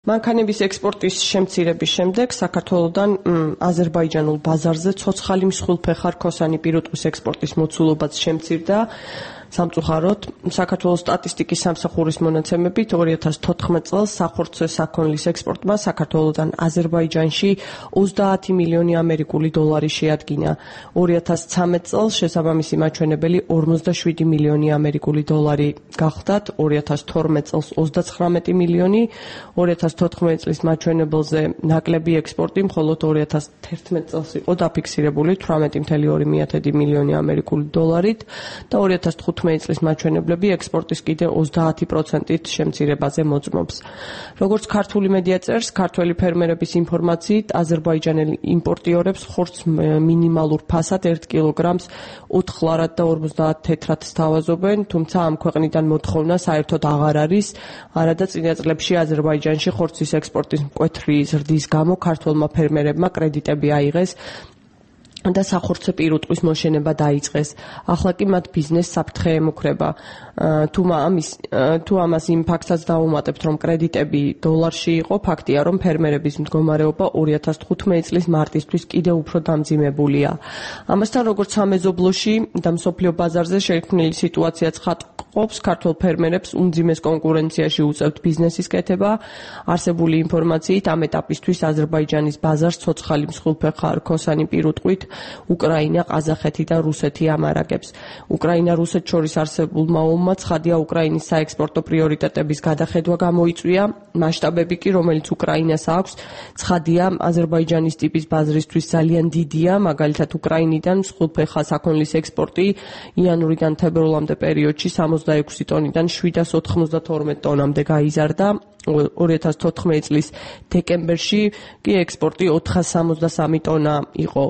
მანქანების ექსპორტის შემცირების შემდეგ საქართველოსთან აზერბაიჯანულ ბაზარზე ცოცხალი მსხვილფეხა რქოსანი პირუტყვის ექსპორტის მოცულობაც შემცირდა. სამწუხაროდ, საქართველოს სტატისტიკის სამსახურის მონაცემებით 2014 წელს სახორცე საქონლის ექსპორტმა საქართველოსთან აზერბაიჯანში 30 მილიონი ამერიკული დოლარი შეადგინა. 2013 წელს შესაბამისი მაჩვენებელი 57 მილიონი ამერიკული დოლარი გახდათ, 2012 წელს 39 მილიონი, 2014 წლის მაჩვენებელზე ნაკლები ექსპორტი მხოლოდ 2011 წელს იყო დაფიქსირებული 18,2 მილიონი ამერიკული დოლარით და 2015 წლის მაჩვენებლები ექსპორტის კიდე 30%-ით შემცირებაზე მოწმობს. როგორც ქართული მედია წერს, ქართველი ფერმერების ინფორმაციით, აზერბაიჯანელი იმპორტიორებს ხორცს მინიმალურ ფასად 1 კილოგრამს 4 ლარად და 50 თეთრად სთავაზობენ, თუმცა ამ ქვეყნიდან მოთხოვნა საერთოდ აღარ არის, არადა წინა წლებში აზერბაიჯანში ხორცის ექსპორტის მკვეთრი ზრდის გამო ქართველმა ფერმერებმა კრედიტები აიღეს და სახორცე პირუტყვის მოშენება დაიწყეს. ახლა კი მათ ბიზნესს საფრთხე ემუქრება. თუ ამას იმ ფაქტსაც დავუმატებთ, რომ კრედიტები დოლარში იყო, ფაქტია, რომ ფერმერების მდგომარეობა 2015 წლის მარტისთვის კიდევ უფრო დამძიმებულია. ამასთან, როგორც სამეზობლოში და მსოფლიო ბაზარზე შექმნილი სიტუაციაც ხატყობს, ქართველ ფერმერებს უმძიმეს კონკურენციაში უწევთ ბიზნესის კეთება. არსებული ინფორმაციით, ამ ეტაპისთვის აზერბაიჯანის ბაზარს ცოცხალი მსხვილფეხა რქოსანი პირუტყვით უკრაინა, ყაზახეთი და რუსეთი ამარაგებს. უკრაინა-რუსეთ შორის არსებულმა ომმა ცხადია უკრაინის საექსპორტო პრიორიტეტების გადახედვა გამოიწვია. მასშტაბები კი, რომელიც უკრაინას აქვს, ცხადია აზერბაიჯანის ტიპის ბაზრისთვის ძალიან დიდია. მაგალითად, უკრაინიდან მსხვილფეხა საქონლის ექსპორტი იანვრიდან თებერვლამდე პერიოდში 66 ტონიდან 792 ტონამდე გაიზარდა. 2014 წლის დეკემბერში კი ექსპორტი 463 ტონა იყო.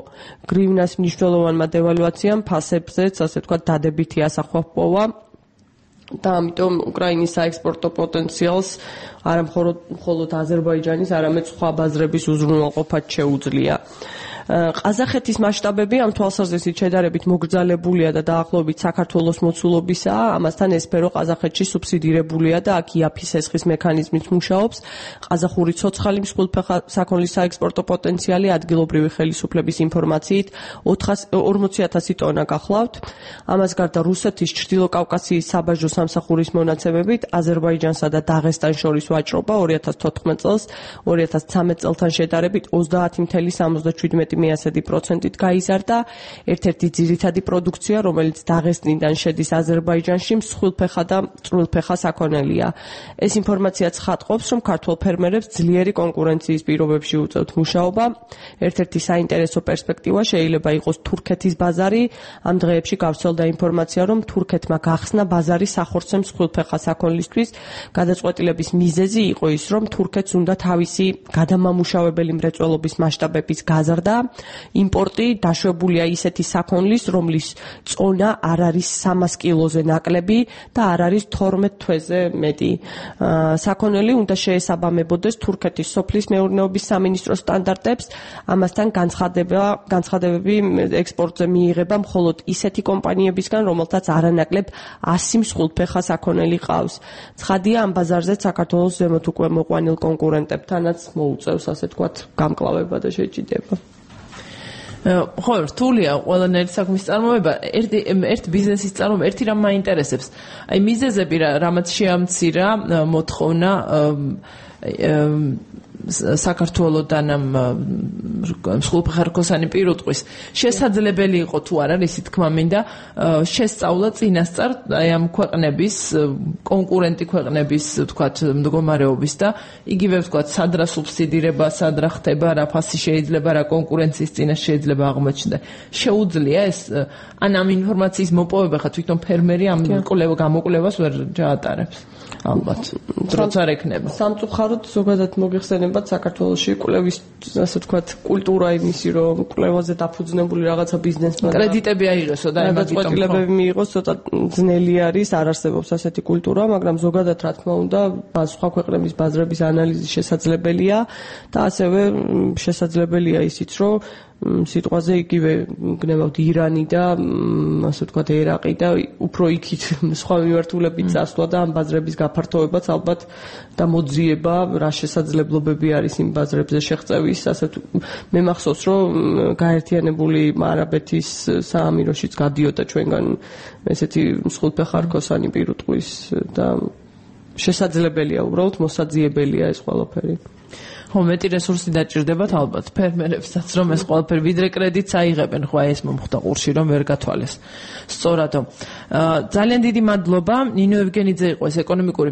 გრივნას მნიშვნელოვანმა დევალვაციამ ფასებზეც, ასე ვთქვათ, დადებითი ასახვა ჰპოვა და ამიტომ უკრაინის საექსპორტო პოტენციალს არა მხოლოდ აზერბაიჯანის, არამედ სხვა ბაზრების უზრუნველყოფაც შეუძლია. ყაზახეთის მასშტაბები ამ თვალსაზრისით შედარებით მოგრძალებულია და დაახლოებით საქართველოს მოცულობისაა. ამასთან ეს სფერო ყაზახეთში სუბსიდირებულია და აქ იაფის ესხის მექანიზმით მუშაობს. ყაზახური ცოცხალი მსხვილფეხა საქონლის საექსპორტო პოტენციალი ადგილობრივი ხელისუფლების ინფორმაციით 40,000 ტონა გახლავთ. ამას გარდა რუსეთის ჩრდილოკავკასიის საბაჟო სამსახურის მონაცემებით აზერბაიჯანსა და დაღესტანს შორის ვაჭრობა 2014 წელს 2013 წელთან შედარებით 30,77%-ით გაიზარდა. ერთ-ერთი ძირითადი პროდუქცია, რომელიც დაღესტნიდან შედის აზერბაიჯანში, მსხვილფეხა და წვრილფეხა საქონელია. ეს ინფორმაციაც ხატყობს, რომ ქართველ ფერმერებს ძლიერი კონკურენციის პირობებში უწევთ მუშაობა. ერთ-ერთი საინტერესო პერსპექტივა შეიძლება იყოს თურქეთის ბაზარი. ამ დღეებში გავრცელდა ინფორმაცია, რომ თურქეთმა გახსნა ბაზარი სახორცე მსხვილფეხა საქონლისთვის. გადაწყვეტილების მიზეზი იყო ის, რომ თურქეთს უნდა თავისი გადამამუშავებელი მრეწველობის მასშტაბების გაზრდა. იმპორტი დაშვებულია ისეთი საქონლის, რომლის წონა არ არის 300 კილოზე ნაკლები და არ არის 12 თვეზე მეტი. საქონელი უნდა შეესაბამებოდეს თურქეთის სოფლის მეურნეობის სამინისტროს სტანდარტებს. ამასთან განცხადებები ექსპორტზე მიიღება მხოლოდ ისეთი კომპანიებისგან, რომელთაც არანაკლებ 100 მსხვილფეხა საქონელი ყავს. ცხადია, ამ ბაზარზე საქართველოს ზემოთ უკვე მოყვანილ კონკურენტებთანაც მოუწევს, ასე ვთქვათ, გამკლავება და შეჭიდება. ხო, რთულია ყველანაირი საქმის წარმოება. ერთ ბიზნესის წარმოება, ერთი რამ მაინტერესებს. აი მიზეზები რამაც შეამცირა მოთხოვნა საქართველოსთან მსხვილფეხა რქოსანი პირუტყვის შესაძლებელი იყო თუ არა, ისე თქმა მინდა, შესწავლა წინასწარ აი ამ ქვეყნების კონკურენტი ქვეყნების ვთქვათ მდგომარეობის და იგივე ვთქვათ სად რა სუბსიდირება, სად რა ხდება, რა ფასი შეიძლება, რა კონკურენციის წინაშე შეიძლება აღმოჩნდა. შეუძლია ეს ამ ინფორმაციის მოპოვება ხა თვითონ ფერმერი ამ გამოკვლევას ვერ ჩაატარებს. ალბათ დროც არ ექნება. სამწუხაროდ ზოგადად მოგიხსენებათ საქართველოში კვლევის, ასე ვთქვათ, კულტურა იმისი, რომ კვლევაზე დაფუძნებული რაღაცა ბიზნესმა კრედიტები აიღესო და გადაწყვეტილებები მიიღოს, ცოტა ძნელი არის, არ არსებობს ასეთი კულტურა, მაგრამ ზოგადად რა თქმა უნდა, სხვა ქვეყნების ბაზრების ანალიზი შესაძლებელია და ასევე შესაძლებელია ისიც, რომ სიტყვაზე იგივე გნებავთ ირანი და ასე ვთქვათ ერაყი და უფრო იქით სხვა მიმართულებით წასვლა და ამ ბაზრების გაფართოვებაც ალბათ და მოძიება რა შესაძლებლობები არის იმ ბაზრებზე შეღწევის ასეთ მე მახსოვს რომ გაერთიანებული არაბეთის საამიროშიც გადიოდა ჩვენგან ესეთი მსხვილფეხა რქოსანი პირუტყვის და შესაძლებელია უბრალოდ მოსაძიებელია ეს ყველაფერი ხო მეტი რესურსი დაჭირდებათ ალბათ ფერმერებსაც რომ ეს ყველაფერი ვიდრე კრედიტს აიღებენ ხო ეს მომხდა ყურში რომ ვერ გათვალეს სწორადო ძალიან დიდი მადლობა ნინო ევგენიძე იყო ეს ეკონომიკური